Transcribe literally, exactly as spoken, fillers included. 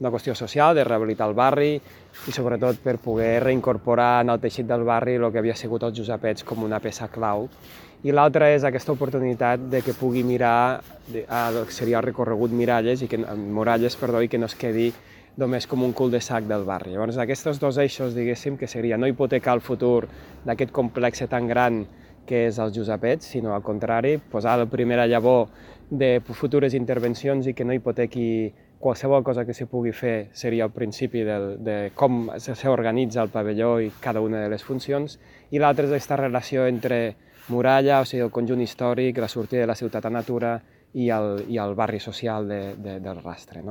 una qüestió social, de rehabilitar el barri i sobretot per poder reincorporar en el teixit del barri el que havia sigut els Josepets com una peça clau. I l'altra és aquesta oportunitat de que pugui mirar el que seria el recorregut Miralles, i que, Muralles perdó, i que no es quedi només com un cul-de-sac del barri. Llavors, aquests dos eixos, diguéssim, que seria no hipotecar el futur d'aquest complex tan gran que és els Josepets, sinó al contrari, posar la primera llavor de futures intervencions i que no hipotequi qualsevol cosa que s'hi pugui fer seria el principi de, de com s'organitza el pavelló i cada una de les funcions, i l'altra és aquesta relació entre muralla, o sigui, el conjunt històric, la sortida de la ciutat a natura i el, i el barri social de, de, del Rastre, no?